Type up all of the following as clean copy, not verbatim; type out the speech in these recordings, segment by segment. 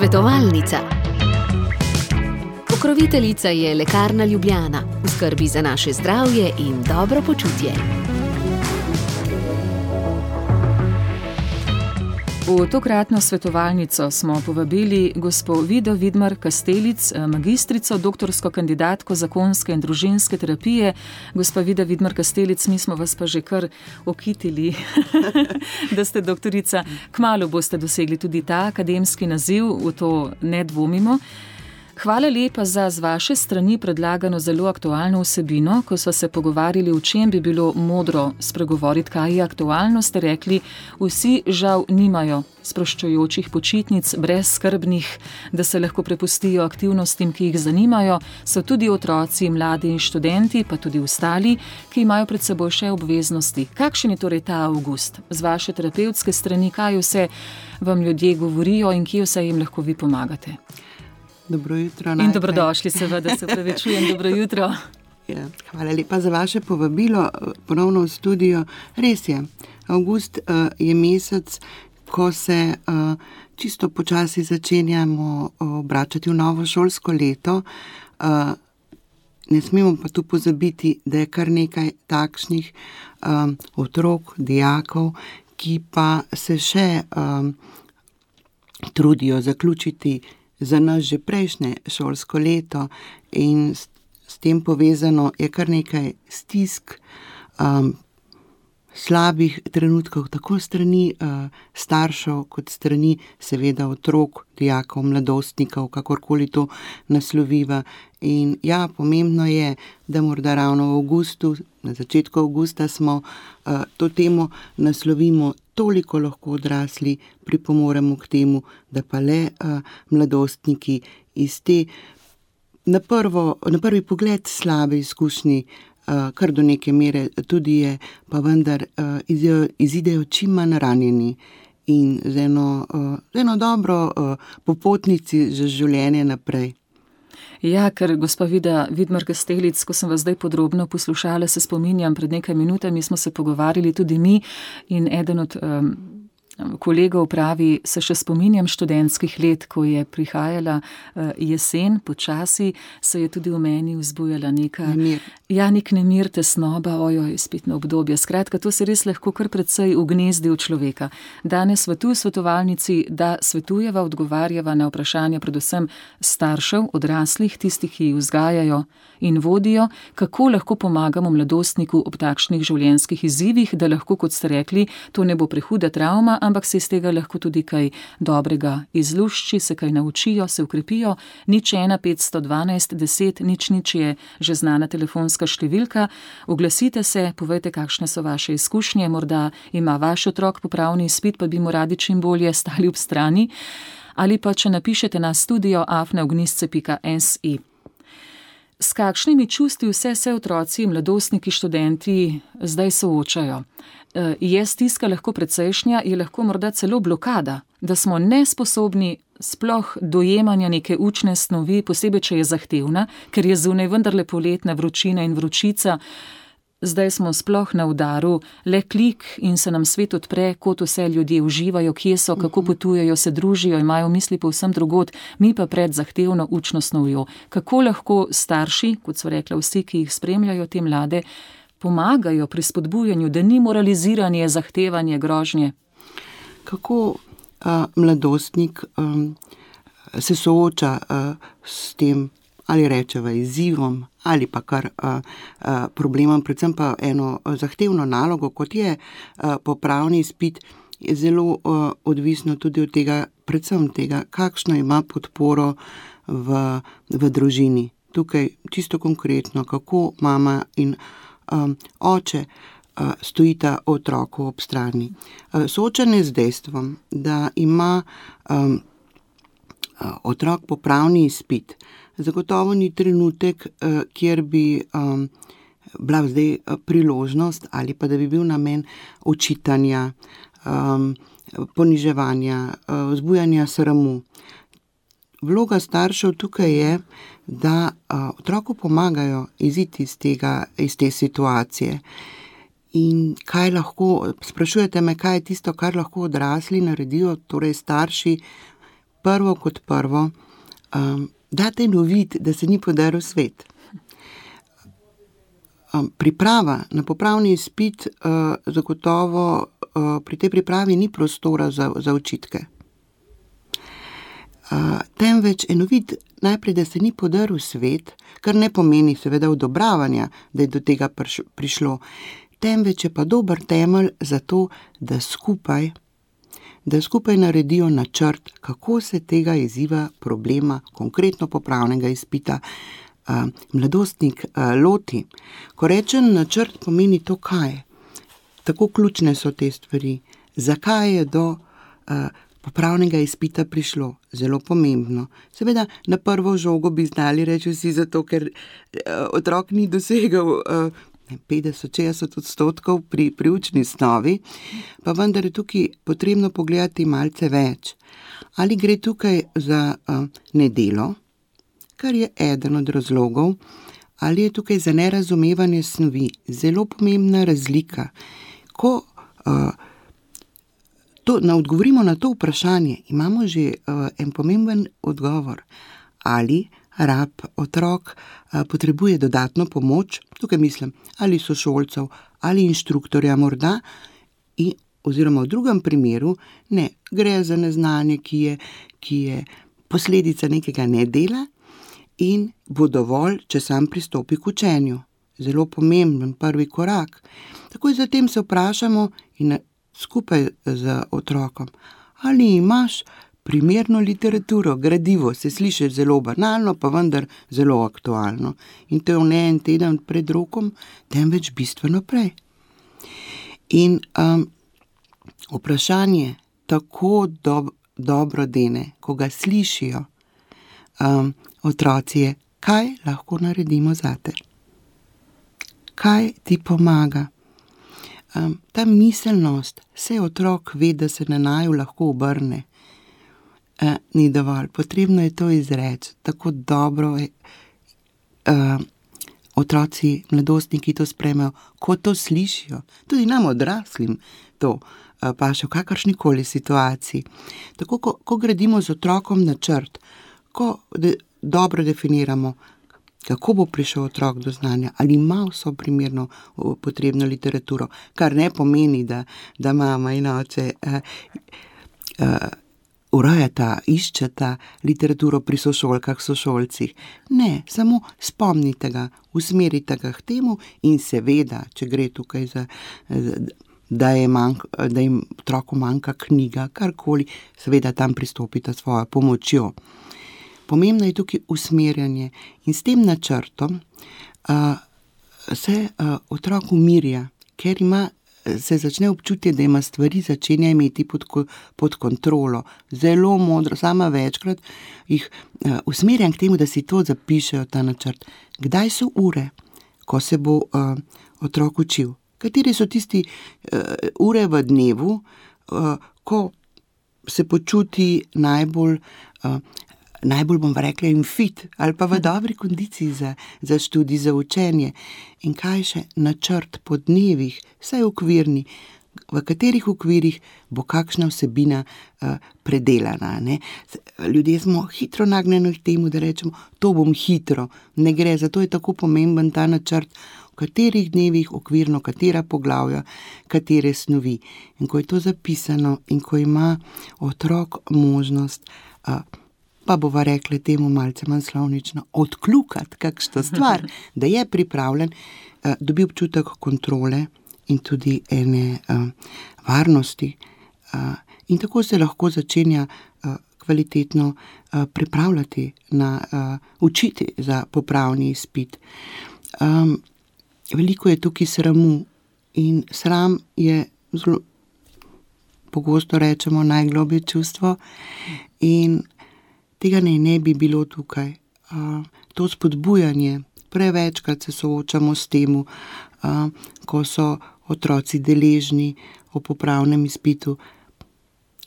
Svetovalnica. Pokroviteljica je Lekarna Ljubljana, v skrbi za naše zdravje in dobro počutje. V tokratno svetovalnico smo povabili gospo Vido Vidmar-Kastelic, magistrico, doktorsko kandidatko zakonske in družinske terapije. Gospa Vida Vidmar-Kastelic, mi smo vas pa že kar okitili, da ste doktorica. Kmalu boste dosegli tudi ta akademski naziv, v to ne dvomimo. Hvala lepa za z vaše strani predlagano zelo aktualno vsebino. Ko sva se pogovarjali, o čem bi bilo modro spregovoriti, kaj je aktualno, ste rekli, vsi žal nimajo sproščujočih počitnic, brezskrbnih, da se lahko prepustijo aktivnostim, ki jih zanimajo. So tudi otroci, mladi in študenti, pa tudi ostali, ki imajo pred seboj še obveznosti. Kakšen je torej ta avgust? Z vaše terapevtske strani, kaj vse vam ljudje govorijo in kje vse jim lahko vi pomagate? Dobro jutro. In dobrodošli, seveda, se opravičujem, dobro jutro. Ja, hvala lepa za vaše povabilo ponovno v studio. Res je, avgust je mesec, ko se čisto počasi začenjamo obračati v novo šolsko leto. Ne smemo pa tu pozabiti, da je kar nekaj takšnih otrok, dijakov, ki pa se še trudijo zaključiti za nas že prejšnje šolsko leto in s tem povezano je kar nekaj stisk, slabih trenutkov, tako strani staršev, kot strani seveda otrok, dijakov, mladostnikov, kakorkoli to nasloviva. In ja, pomembno je, da morda ravno v avgustu, na začetku avgusta smo to temo naslovimo, toliko lahko odrasli pripomoremo k temu, da pa le mladostniki iz te na prvi pogled slabe izkušnje, kar do neke mere tudi je, pa vendar izidejo čim manj ranjeni in z eno dobro popotnici za življenje naprej. Ja, ker gospa Vida Vidmar-Kastelic, ko sem vas zdaj podrobno poslušala, se spominjam, pred nekaj minutami smo se pogovarjali tudi mi in eden od kolegov pravi, se še spominjam študentskih let, ko je prihajala jesen, počasi se je tudi v meni vzbujala nek nemir, tesnoba, izpitno obdobje. Skratka, to se res lahko kar precej ugnezdi v človeka. Danes v tu svetovalnici, da svetujeva, odgovarjava na vprašanja predvsem staršev, odraslih, tistih, ki jih vzgajajo in vodijo, kako lahko pomagamo mladostniku ob takšnih življenjskih izzivih, da lahko, kot ste rekli, to ne bo prehuda travma, ampak se iz tega lahko tudi kaj dobrega izlušči, se kaj naučijo, se ukrepijo. 01 512 10 00 je že znana telefonska številka. Oglasite se, povejte, kakšne so vaše izkušnje, morda ima vaš otrok popravni izpit, pa bi mu radi čim bolje stali ob strani. Ali pa, če napišete na studio@ognisce.si. S kakšnimi čustvi vse se otroci, mladostniki, študenti zdaj soočajo? Je stiska lahko precejšnja, je lahko morda celo blokada, da smo nesposobni sploh dojemanja neke učne snovi, posebej, če je zahtevna, ker je zunaj vendarle poletna vročina in vročica. Zdaj smo sploh na udaru, le klik in se nam svet odpre, kot vse ljudje uživajo, kje so, kako potujejo, se družijo, imajo misli povsem drugod, mi pa pred zahtevno učno snovjo. Kako lahko starši, kot so rekla vsi, ki jih spremljajo te mlade, pomagajo pri spodbujanju, da ni moraliziranje, zahtevanje, grožnje? Kako mladostnik se sooča s tem, ali rečeva izzivom, ali pa kar problemom, predvsem pa eno zahtevno nalogo, kot je popravni izpit, je zelo odvisno tudi od tega, predvsem tega, kakšno ima podporo v družini. Tukaj čisto konkretno, kako mama in oče stojita otroku ob strani. Soočanje z dejstvom, da ima otrok popravni izpit, zagotovo ni trenutek, kjer bi bila zdaj priložnost ali pa da bi bil namen očitanja, poniževanja, vzbujanja sramu. Vloga staršev tukaj je, da otroku pomagajo iziti iz te situacije. In kaj lahko, sprašujete me, kaj je tisto, kar lahko odrasli naredijo, torej starši, prvo kot prvo, date novit, da se ni podaril svet. Priprava na popravni izpit, zagotovo pri tej pripravi ni prostora za očitke. Temveč enovit najprej, da se ni podaril svet, kar ne pomeni seveda odobravanja, da je do tega prišlo, temveč je pa dober temelj za to, da skupaj naredijo načrt, kako se tega izziva, problema, konkretno popravnega izpita, mladostnik loti. Ko rečem načrt, pomeni to, kaj. Tako ključne so te stvari. Zakaj je do popravnega izpita prišlo? Zelo pomembno. Seveda, na prvo žogo bi znali reči vsi zato, ker otrok ni dosegel 50-60% pri učni snovi, pa vendar je tukaj potrebno pogledati malce več. Ali gre tukaj za nedelo, kar je eden od razlogov, ali je tukaj za nerazumevanje snovi. Zelo pomembna razlika. Ko odgovorimo na to vprašanje, imamo že en pomemben odgovor. Ali otrok potrebuje dodatno pomoč, tukaj mislim, ali sošolcev, ali inštruktorja morda, oziroma v drugem primeru, ne, gre za neznanje, ki je posledica nekega nedela in bo dovolj, če sam pristopi k učenju. Zelo pomemben prvi korak. Takoj zatem se vprašamo in skupaj z otrokom, ali imaš primerno literaturo, gradivo, se sliši zelo banalno, pa vendar zelo aktualno. In to je ne en teden pred rokom, temveč bistveno prej. In vprašanje tako dobro dene, ko ga slišijo otroci, je, kaj lahko naredimo zate? Kaj ti pomaga? Ta miselnost, vse otrok ve, da se na naju lahko obrne, ni dovolj. Potrebno je to izreči. Tako dobro otroci, mladostniki to sprejmejo, ko to slišijo. Tudi nam odraslim to paše v kakršnikoli situaciji. Tako, ko gradimo z otrokom načrt, ko dobro definiramo, kako bo prišel otrok do znanja, ali ima vso primerno potrebno literaturo, kar ne pomeni, da mama in oče urejata, iščeta literaturo pri sošolkah, sošolcih. Ne, samo spomnite ga, usmerite ga k temu in seveda, če gre tukaj za, da jim otroku manjka knjiga, karkoli, seveda tam pristopite svojo pomočjo. Pomembno je tukaj usmerjanje in s tem načrtom se otrok umirja, ker se začne občutje, da ima stvari, začenja imeti pod kontrolo. Zelo modro, sama večkrat jih usmerjam k temu, da si to zapišejo, ta načrt. Kdaj so ure, ko se bo otrok učil? Kateri so tisti ure v dnevu, ko se počuti najbolj bom rekla in fit, ali pa v dobri kondiciji za študij, za učenje. In kaj še? Načrt po dnevih, vsaj okvirni, v katerih okvirih bo kakšna vsebina predelana. Ne? Ljudje smo hitro nagnjeni k temu, da rečemo, to bom hitro. Ne gre, zato je tako pomemben ta načrt, v katerih dnevih okvirno, katera poglavja, katere snovi. In ko je to zapisano in ko ima otrok možnost, pa bova rekla temu malce manj slovnično, odkljukati kakšno stvar, da je pripravljen, dobi občutek kontrole in tudi ene varnosti. In tako se lahko začenja kvalitetno pripravljati učiti za popravni izpit. Veliko je tukaj sramu in sram je zelo, pogosto rečemo, najgloblje čustvo in tega ne bi bilo tukaj. To spodbujanje, prevečkrat se soočamo s tem, ko so otroci deležni o popravnem izpitu,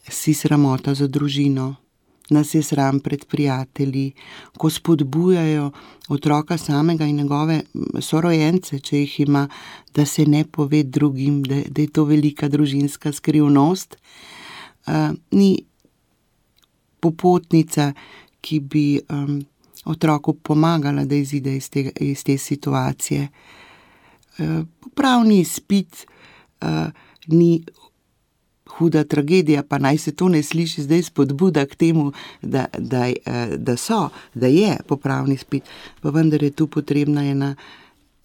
si sramota za družino, nas je sram pred prijatelji, ko spodbujajo otroka samega in njegove sorojence, če jih ima, da se ne pove drugim, da je to velika družinska skrivnost. popotnica, ki bi otroku pomagala, da izide iz te situacije. Popravni izpit ni huda tragedija, pa naj se to ne sliši zdaj spodbuda k temu, da je popravni izpit, pa vendar je tu potrebna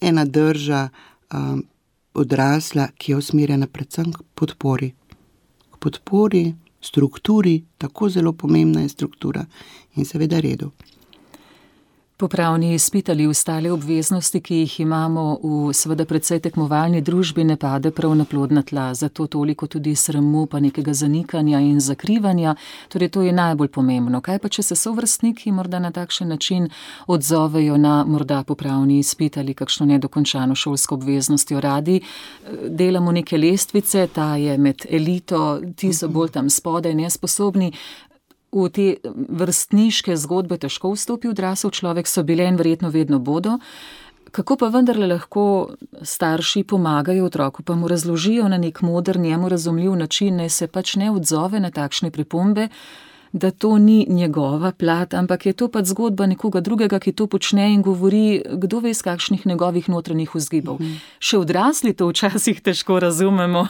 ena drža odrasla, ki je usmerjena predvsem k podpori. K podpori, strukturi, tako zelo pomembna je struktura in seveda redu. Popravni izpit ali ostale obveznosti, ki jih imamo v seveda precej tekmovalni družbi, ne pade prav na plodna tla, zato toliko tudi sramu pa nekega zanikanja in zakrivanja, torej to je najbolj pomembno. Kaj pa, če se sovrstniki morda na takšen način odzovejo na morda popravni izpit ali kakšno nedokončano šolsko obveznostjo? Radi delamo neke lestvice, ta je med elito, ti so bolj tam spodaj, nesposobni. V te vrstniške zgodbe težko vstopi odrasel človek, so bile in verjetno vedno bodo. Kako pa vendarle lahko starši pomagajo otroku, pa mu razložijo na nek moder, njemu razumljiv način, naj se pač ne odzove na takšne pripombe, da to ni njegova plat, ampak je to pač zgodba nekoga drugega, ki to počne in govori, kdo ve iz kakšnih njegovih notranjih vzgibov. Še odrasli to včasih težko razumemo,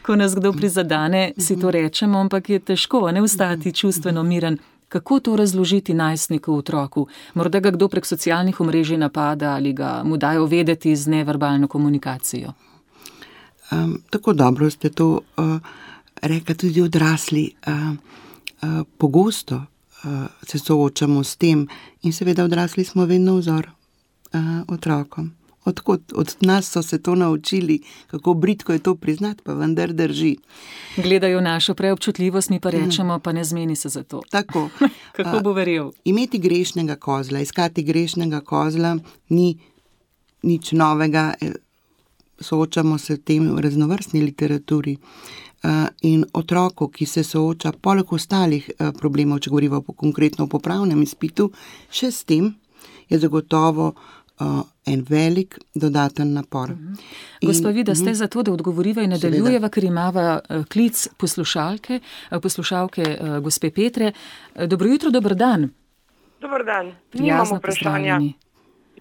ko nas kdo prizadane, si to rečemo, ampak je težko ne ostati čustveno miren. Kako to razložiti najstniku, otroku? Morda ga kdo prek socialnih omrežij napada ali ga mu dajo vedeti z neverbalno komunikacijo? Tako dobro ste to rekli tudi odrasli. Pogosto se soočamo s tem in seveda odrasli smo vedno vzor otrokom. Od nas so se to naučili, kako bridko je to priznati, pa vendar drži. Gledajo našo preobčutljivost, mi pa rečemo, pa ne zmeni se za to. Tako. Kako bo verjel? Imeti grešnega kozla, iskati grešnega kozla ni nič novega, soočamo se v tem raznovrstni literaturi. In otroku, ki se sooča poleg ostalih problemov, če govorimo konkretno o popravnem izpitu, še s tem je zagotovo en velik dodaten napor. Gospa Vida, ste za to, da odgovoriva in nadaljujeva, ker imava klic poslušalke gospe Petre. Dobro jutro, dober dan. Dober dan. Nimam vprašanja.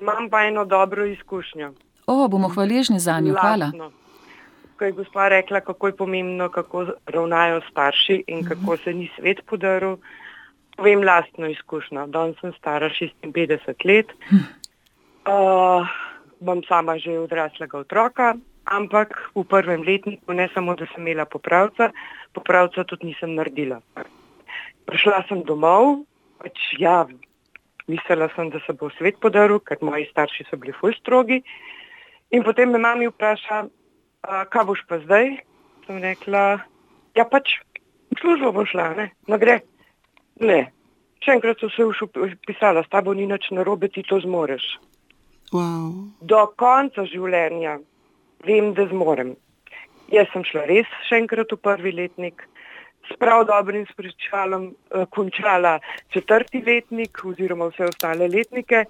Imam pa eno dobro izkušnjo. Bomo hvaležni za njo. Hvala. Ko je gospa rekla, kako je pomembno, kako ravnajo starši in kako se ni svet podaril, povem lastno izkušnjo. Danes sem stara 56 let, bom sama že odraslega otroka, ampak v prvem letniku ne samo, da sem imela popravca tudi nisem naredila. Prišla sem domov, mislila sem, da se bo svet podaril, ker moji starši so bili ful strogi, in potem me mami vpraša, kaj boš pa zdaj? Sem rekla, v službo bo šla, ne? No gre. Ne. Še enkrat so se pisala, s tabo ni nič narobe, ti to zmoreš. Wow. Do konca življenja vem, da zmorem. Jaz sem šla res še enkrat v prvi letnik, s prav dobrim spričalom končala 4. letnik oziroma vse ostale letnike,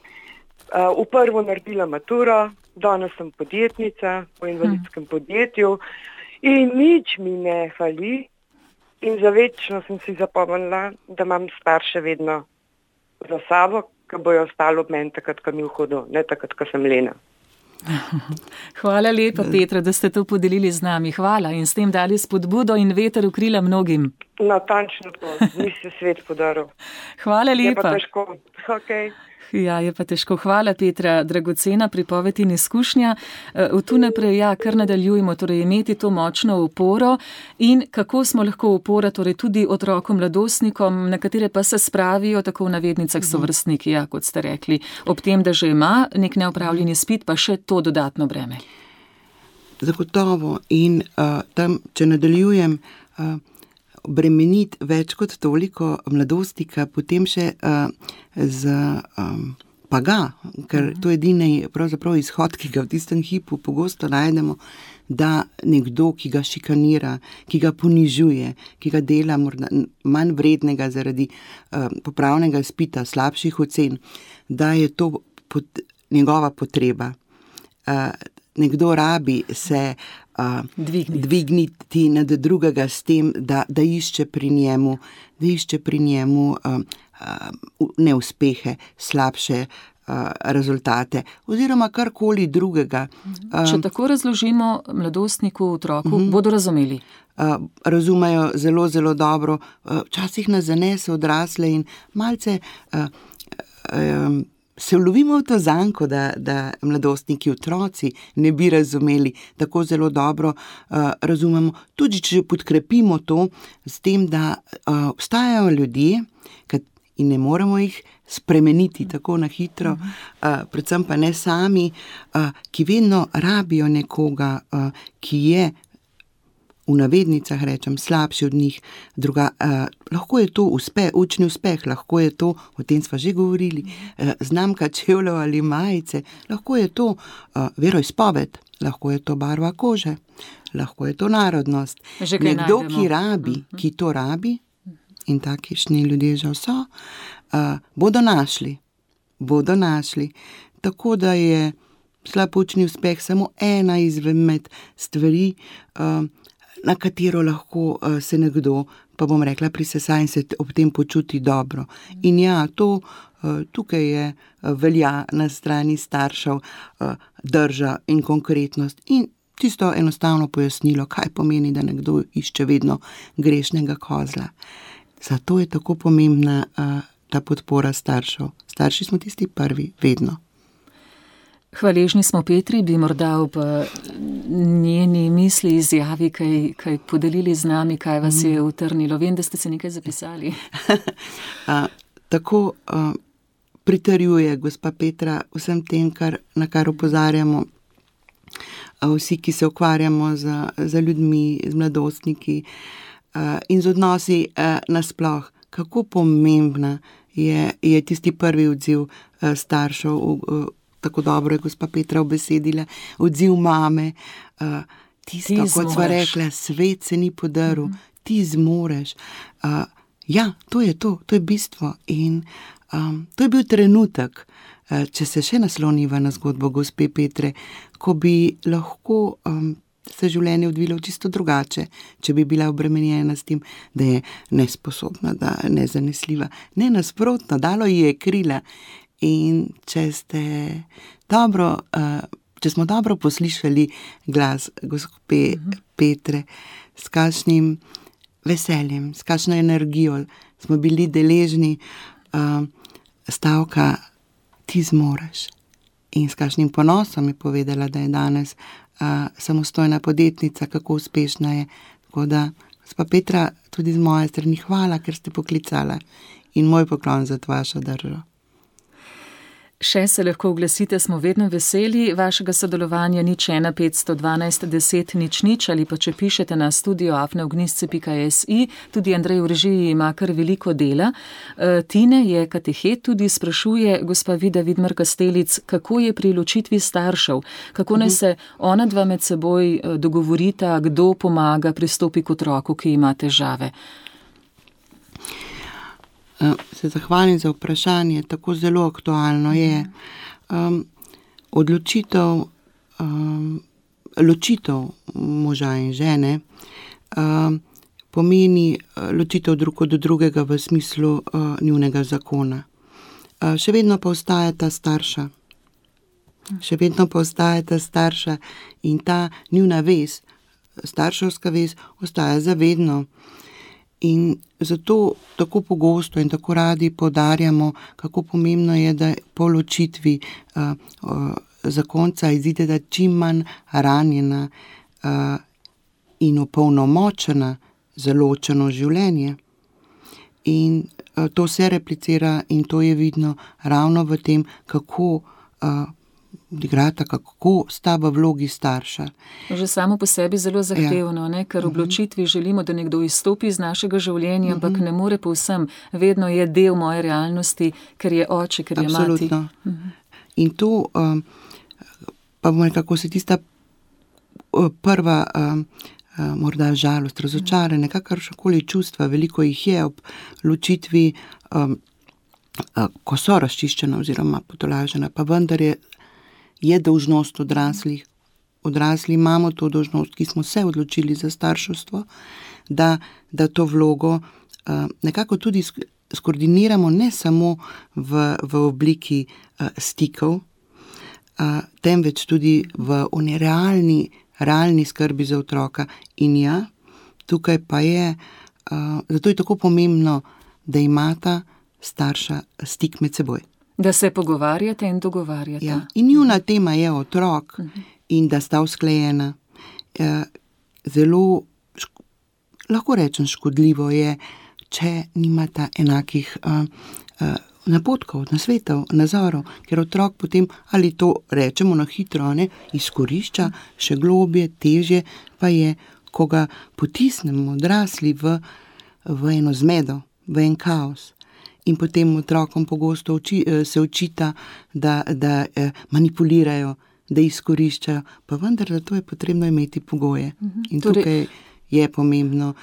v prvo naredila maturo, danes sem podjetnica v invalidskem podjetju in nič mi ne fali in za večno sem si zapomnila, da imam starše vedno za sabo, ki bojo ostali ob meni takrat, ko mi v hodu, ne takrat, ko sem lena. Hvala lepa, Petra, da ste to podelili z nami. Hvala in s tem dali spodbudo in veter v krila mnogim. Natančno to, ni se svet podaril. Hvala lepa. Je pa težko. Okay. Ja, je pa težko. Hvala, Petra, dragocena pripoved in izkušnja. Tu naprej, kar nadaljujemo, torej imeti to močno oporo in kako smo lahko opora, torej tudi otrokom, mladostnikom, na katere pa se spravijo tako v navednicah sovrstniki, kot ste rekli, ob tem, da že ima nek neopravljeni izpit, pa še to dodatno breme. Zagotovo in tam, če nadaljujem, bremeniti več kot toliko mladostnika, potem še ker to je edini pravzaprav izhod, ki ga v tistem hipu pogosto najdemo, da nekdo, ki ga šikanira, ki ga ponižuje, ki ga dela morda manj vrednega zaradi popravnega izpita, slabših ocen, da je to njegova potreba. nekdo rabi se dvigniti nad drugega s tem, da išče pri njemu neuspehe, slabše rezultate oziroma karkoli drugega. Če tako razložimo mladostniku, otroku, bodo razumeli. Razumejo zelo, zelo dobro. Včasih nas zanese odrasle in malce se vlovimo v to zanko, da mladostniki, otroci ne bi razumeli tako zelo dobro. Razumemo, tudi če podkrepimo to s tem, da obstajajo ljudje, in ne moremo jih spremeniti tako na hitro, predvsem pa ne sami, ki vedno rabijo nekoga, ki je, v navednicah rečem, slabši od njih. Lahko je to učni uspeh, lahko je to, o tem sva že govorili, znamka čevljev ali majice, lahko je to veroizpoved, lahko je to barva kože, lahko je to narodnost. Nekdo, ki to rabi, in takišni ljudje žal so, bodo našli. Tako da je slab učni uspeh samo ena izmed stvari, na katero lahko se nekdo, pa bom rekla, prisesa in se ob tem počuti dobro. In ja, to tukaj je velja na strani staršev drža in konkretnost in tisto enostavno pojasnilo, kaj pomeni, da nekdo išče vedno grešnega kozla. Zato je tako pomembna ta podpora staršev. Starši smo tisti prvi, vedno. Hvaležni smo Petri, bi morda ob njeni misli, izjavi kaj podelili z nami, kaj vas je utrnilo. Vem, da ste se nekaj zapisali. Tako pritrjuje gospa Petra vsem tem, na kar opozarjamo vsi, ki se ukvarjamo z ljudmi, z mladostniki in z odnosi nasploh. Kako pomembna je tisti prvi odziv staršev, tako dobro je gospa Petra obesedila, odziv mame, tisto, kot sva rekla, svet se ni podaril, ti zmoreš. Ja, to je bistvo in to je bil trenutek, če se še nasloniva na zgodbo gospe Petre, ko bi lahko se življenje odvilo čisto drugače, če bi bila obremenjena s tem, da je nesposobna, da je nezanesljiva. Ne, nasprotno, dalo ji je krila. In če smo dobro poslišali glas gospe Petre, s kakšnim veseljem, s kakšno energijo smo bili deležni stavka ti zmoreš. In s kakšnim ponosom je povedala, da je danes samostojna podjetnica, kako uspešna je. Tako da, gospa Petra, tudi z moje strani hvala, ker ste poklicala in moj poklon za vašo držo. Še se lahko oglasite, smo vedno veseli vašega sodelovanja, 015 512 10 00 ali pa če pišete na studio@ognisce.si. Tudi Andrej v režiji ima kar veliko dela. Tine je katehet, tudi sprašuje gospa Vida Vidmar-Kastelic, kako je pri ločitvi staršev, kako naj se ona dva med seboj dogovorita, kdo pomaga, pristopi k otroku, ki ima težave. Se zahvalim za vprašanje, tako zelo aktualno je. Ločitev moža in žene pomeni ločitev drug od drugega v smislu njunega zakona. Še vedno pa ostajata starša in ta njuna vez, starševska vez, ostaja zavedno. In zato tako pogosto in tako radi poudarjamo, kako pomembno je, da po ločitvi zakonca izideta čim manj ranjena in opolnomočena za ločeno življenje. In to se replicira in to je vidno ravno v tem, kako odigrata, kako sta v vlogi starša. Že samo po sebi zelo zahtevno, ne? Ker v odločitvi želimo, da nekdo izstopi iz našega življenja, ampak ne more povsem. Vedno je del moje realnosti, ker je oče, ker je mati. Absolutno. In to, pa bomo nekako se tista prva morda žalost, razočaranje, kakršnekoli čustva, veliko jih je ob ločitvi, ko so razčiščena oziroma potolažena, pa vendar je dolžnost odraslih odrasli imamo to dolžnost, ki smo se odločili za starševstvo, da to vlogo nekako tudi skoordiniramo ne samo v obliki stikov, temveč tudi v realni skrbi za otroka. In ja, tukaj pa je, zato je tako pomembno, da imata starša stik med seboj. Da se pogovarjate in dogovarjate. Ja. In njuna tema je otrok in da sta usklajena. Zelo, lahko rečem, škodljivo je, če nimata enakih napotkov, nasvetov, nazorov, ker otrok potem, ali to rečemo na hitro, izkorišča, še globje, težje pa je, ko ga potisnemo odrasli v eno zmedo, v en kaos. In potem otrokom pogosto se očita, da manipulirajo, da izkoriščajo, pa vendar za to je potrebno imeti pogoje. In tukaj je pomembno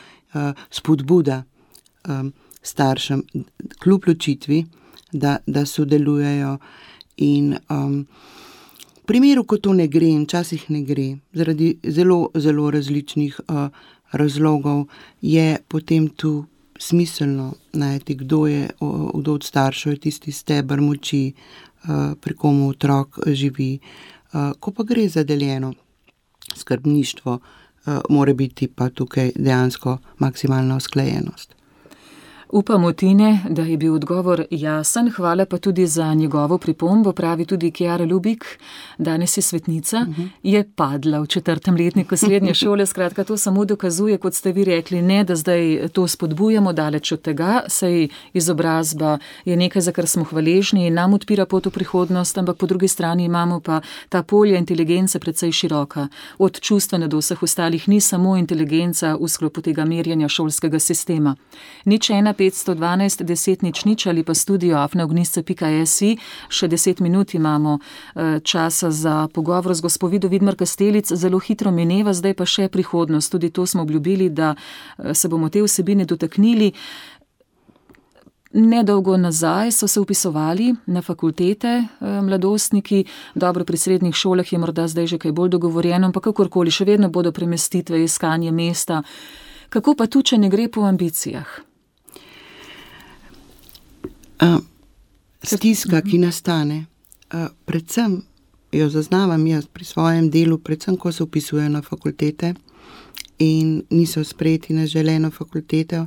spodbuda staršem kljub ločitvi, da sodelujejo in v primeru, ko to ne gre in včasih ne gre, zaradi zelo, zelo različnih razlogov, je potem tu smiselno najti, kdo od staršev je tisti steber moči, pri komu otrok živi. Ko pa gre za deljeno skrbništvo, mora biti pa tukaj dejansko maksimalna usklajenost. Upamo, Tine, da je bil odgovor jasen, hvala pa tudi za njegovo pripombo, pravi tudi Kjara Lubik, danes je svetnica, je padla v 4. letniku srednje šole, skratka to samo dokazuje, kot ste vi rekli, ne, da zdaj to spodbujamo daleč od tega, saj izobrazba je nekaj, za kar smo hvaležni in nam odpira pot v prihodnost, ampak po drugi strani imamo pa ta polja inteligence precej široka, od čustvene do vseh ostalih, ni samo inteligenca v sklopu tega merjanja šolskega sistema. Nič 512 10 0 ali pa studio@ognisce.si. Še 10 minut imamo časa za pogovor z gospo Vido Vidmar Kastelic. Zelo hitro mineva, zdaj pa še prihodnost. Tudi to smo obljubili, da se bomo te vsebine dotaknili. Nedolgo nazaj so se vpisovali na fakultete mladostniki, dobro, pri srednjih šolah je morda zdaj že kaj bolj dogovorjeno, ampak kakorkoli, še vedno bodo premestitve, iskanje mesta. Kako pa tu, če ne gre po ambicijah? Stiska, ki nastane, predvsem jo zaznavam jaz pri svojem delu, predvsem ko se vpisujejo na fakultete in niso sprejeti na želeno fakulteto,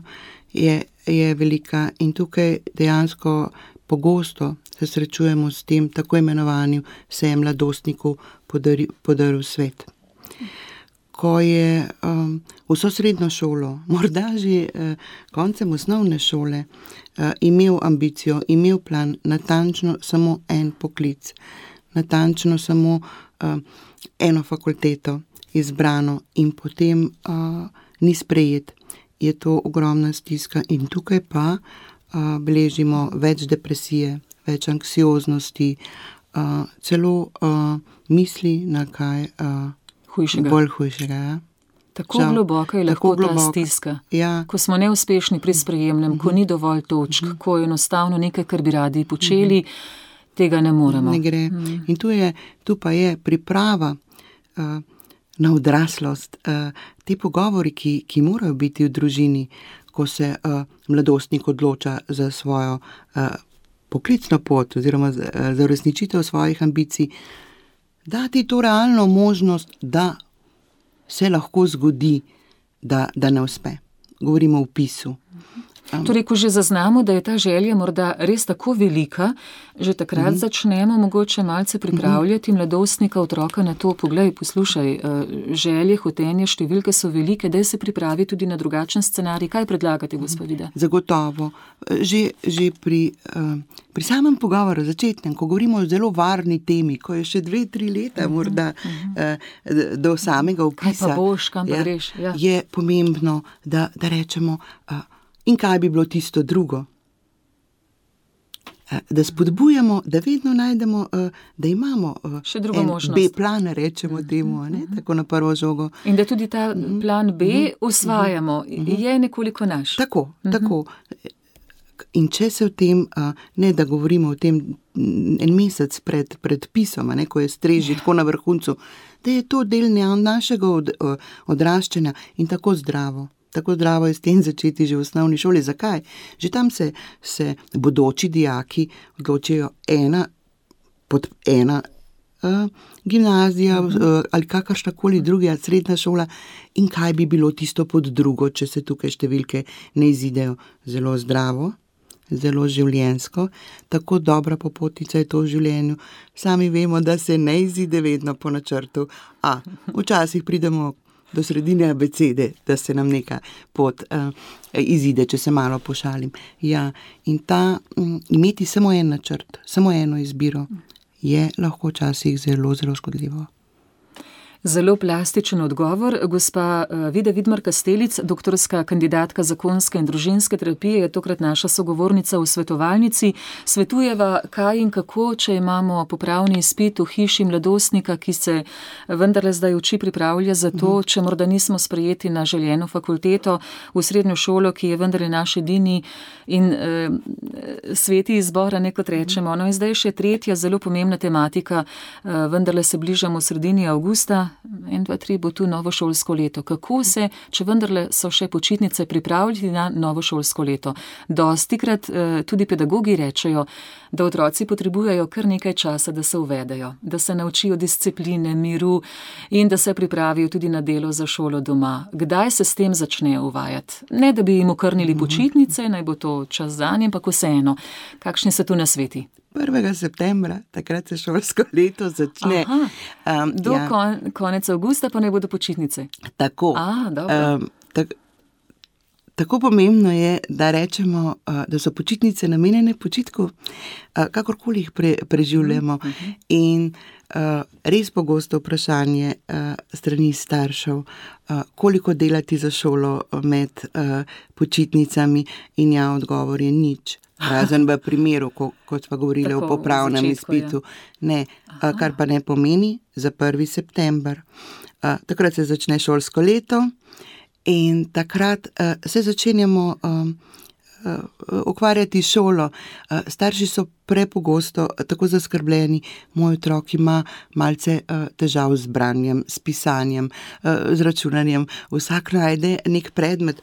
je velika in tukaj dejansko pogosto se srečujemo s tem tako imenovanim se je mladostniku podaril svet. Ko je vso srednjo šolo, morda že koncem osnovne šole, imel ambicijo, imel plan, natančno samo en poklic, natančno samo eno fakulteto izbrano in potem ni sprejet, je to ogromna stiska in tukaj pa beležimo več depresije, več anksioznosti, celo misli na kaj bolj hujšega. Ja? Tako globoka je lahko ta stiska. Ja. Ko smo neuspešni pri sprejemnem, ko ni dovolj točk, ko je enostavno nekaj, kar bi radi počeli, tega ne moremo. Ne gre. In tu pa je priprava na odraslost, te pogovori, ki morajo biti v družini, ko se mladostnik odloča za svojo poklicno pot oziroma za uresničitev svojih ambicij, dati to realno možnost, da se lahko zgodi, da ne uspe. Govorimo o vpisu. Torej, ko že zaznamo, da je ta želja morda res tako velika, že takrat začnemo mogoče malce pripravljati mladostnika, otroka na to, poglej, poslušaj, želje, hotenje, številke so velike, daj se pripravi tudi na drugačen scenarij. Kaj predlagate, gospa Vida? Zagotovo. Že pri samem pogovoru začetnem, ko govorimo o zelo varni temi, ko je še 2-3 leta morda do samega vpisa. Kaj pa boš, kam pa greš? Ja. Je pomembno, da rečemo, in kaj bi bilo tisto drugo? Da spodbujamo, da vedno najdemo, da imamo še drugo možnost. B-plan, rečemo temu, tako na prvo žogo. In da tudi ta plan B usvajamo, je nekoliko naš. Tako. In če se v tem, ne da govorimo o tem en mesec pred pisom, ko je stres že tako na vrhuncu, da je to del našega odraščanja in tako zdravo. Tako zdravo je s tem začeti že v osnovni šoli. Zakaj? Že tam se bodoči dijaki odločijo ena gimnazija ali kakršnakoli druga srednja šola in kaj bi bilo tisto pod drugo, če se tukaj številke ne izidejo. Zelo zdravo, zelo življenjsko, tako dobra popotnica je to v življenju. Sami vemo, da se ne izide vedno po načrtu, včasih pridemo do sredine abecede, da se nam neka pot izide, če se malo pošalim. Ja, in imeti samo en načrt, samo eno izbiro, je lahko včasih zelo, zelo škodljivo. Zelo plastičen odgovor. Gospa Vida Vidmar-Kastelic, doktorska kandidatka zakonske in družinske terapije, je tokrat naša sogovornica v svetovalnici. Svetujeva, kaj in kako, če imamo popravni izpit v hiši mladostnika, ki se vendarle zdaj uči pripravlja za to, če morda nismo sprejeti na željeno fakulteto, v srednjo šolo, ki je vendarle naš edini in sveti izbor, kot rečemo. No in zdaj še tretja zelo pomembna tematika, vendarle se bližamo sredini avgusta, 1, 2, 3 bo tu novo šolsko leto. Kako se, če vendarle so še počitnice, pripravljati na novo šolsko leto? Dostikrat tudi pedagogi rečejo, da otroci potrebujejo kar nekaj časa, da se uvedejo, da se naučijo discipline, miru in da se pripravijo tudi na delo za šolo doma. Kdaj se s tem začnejo uvajati? Ne, da bi jim okrnili počitnice, naj bo to čas zanje, ampak vseeno. Kakšni so tu nasveti? 1. septembra, takrat se šolsko leto začne. Konec avgusta pa ne bodo počitnice. Tako. Tako pomembno je, da rečemo, da so počitnice namenjene počitku, kakorkoli jih preživljamo. In res pogosto vprašanje strani staršev, koliko delati za šolo med počitnicami, in odgovor je nič. Razen v primeru, kot smo govorili o popravnem izpitu. Ne, kar pa ne pomeni za 1. september. Takrat se začne šolsko leto in takrat se začenjamo ukvarjati šolo. Starši so prepogosto tako zaskrbljeni, moj otrok ima malce težav z branjem, s pisanjem, z računanjem. Vsak najde nek predmet,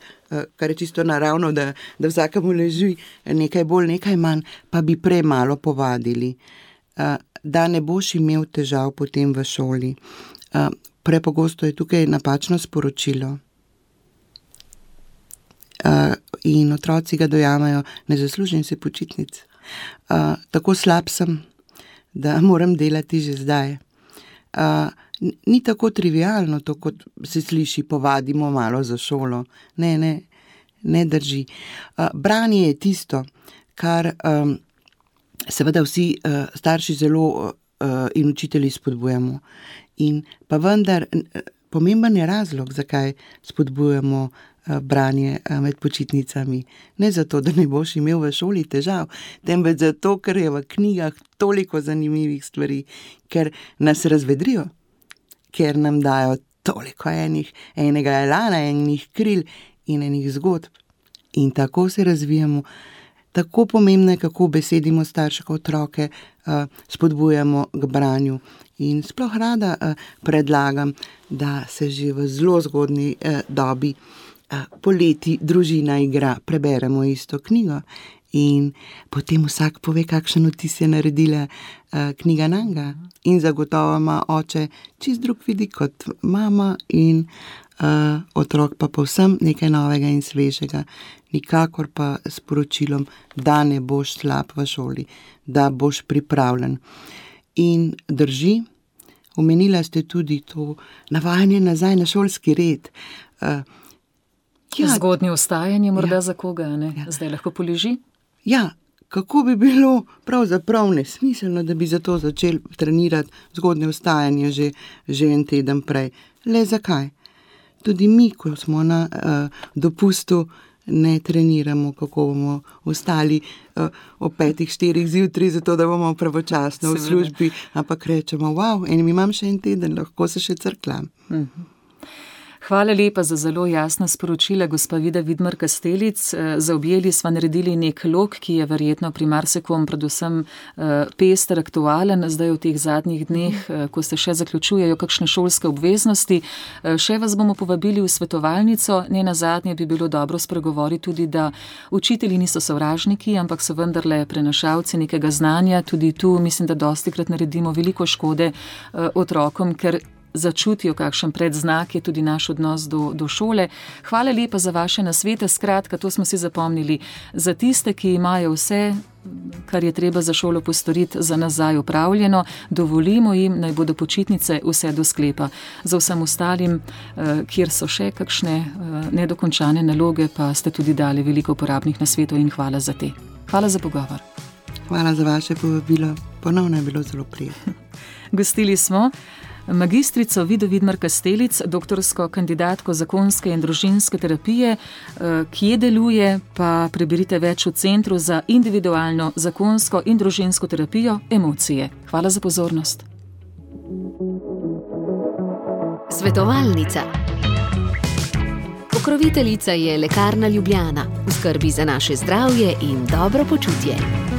kar je čisto naravno, da vsakemu leži nekaj bolj, nekaj manj, pa bi premalo povadili, da ne boš imel težav potem v šoli. Prepogosto je tukaj napačno sporočilo. In otroci ga dojamejo, ne zaslužim si počitnic. Tako slab sem, da moram delati že zdaj. Ni tako trivialno to, kot se sliši, povadimo malo za šolo. Ne drži. Branje je tisto, kar seveda vsi starši zelo in učitelji spodbujamo. In pa vendar pomemben je razlog, zakaj spodbujamo branje med počitnicami. Ne zato, da ne boš imel v šoli težav, temveč zato, ker je v knjigah toliko zanimivih stvari, ker nas razvedrijo, ker nam dajo toliko enega elana, enih kril in enih zgodb. In tako se razvijamo. Tako pomembno je, kako besedimo starše otroke, spodbujamo k branju. In sploh rada predlagam, da se že v zelo zgodnji dobi poleti družina igra, preberemo isto knjigo in potem vsak pove, kakšen vtis je naredila knjiga nanga. In zagotovo ima oče čist drug vidik kot mama in otrok pa povsem nekaj novega in svežega. Nikakor pa s poročilom, da ne boš slab v šoli, da boš pripravljen. In drži, omenila ste tudi to navajanje nazaj na šolski red. Zgodnje vstajanje morda za koga, ne? Zdaj lahko poleži? Ja, kako bi bilo pravzaprav nesmiselno, da bi zato začeli trenirati zgodnje vstajanje že en teden prej. Le zakaj? Tudi mi, ko smo na dopustu, ne treniramo, kako bomo vstali ob 5-4 zjutraj, zato da bomo pravočasno v službi, ampak rečemo, wow, imam še en teden, lahko se še crklam. Hvala lepa za zelo jasna sporočila, gospa Vida Vidmar Kastelic. Zaobjeli sva naredili nek lok, ki je verjetno pri marsikom predvsem pester, aktualen, zdaj v teh zadnjih dneh, ko se še zaključujejo kakšne šolske obveznosti. Še vas bomo povabili v svetovalnico, ne nazadnje bi bilo dobro spregovoriti tudi, da učitelji niso sovražniki, ampak so vendarle prenašalci nekega znanja. Tudi tu mislim, da dostikrat naredimo veliko škode otrokom, ker začutijo, kakšen predznak je tudi naš odnos do šole. Hvala lepa za vaše nasvete, skratka, to smo si zapomnili. Za tiste, ki imajo vse, kar je treba za šolo postoriti, za nazaj upravljeno, dovolimo jim, naj bodo počitnice vse do sklepa. Za vsem ostalim, kjer so še kakšne nedokončane naloge, pa ste tudi dali veliko uporabnih nasvetov in hvala za te. Hvala za pogovor. Hvala za vaše povabilo. Ponovno je bilo zelo prijetno. Gostili smo magistrico Vido Vidmar Kastelic, doktorsko kandidatko zakonske in družinske terapije, kje deluje, pa preberite več v Centru za individualno zakonsko in družinsko terapijo Emocije. Hvala za pozornost. Svetovalnica. Pokroviteljica je Lekarna Ljubljana. V skrbi za naše zdravje in dobro počutje.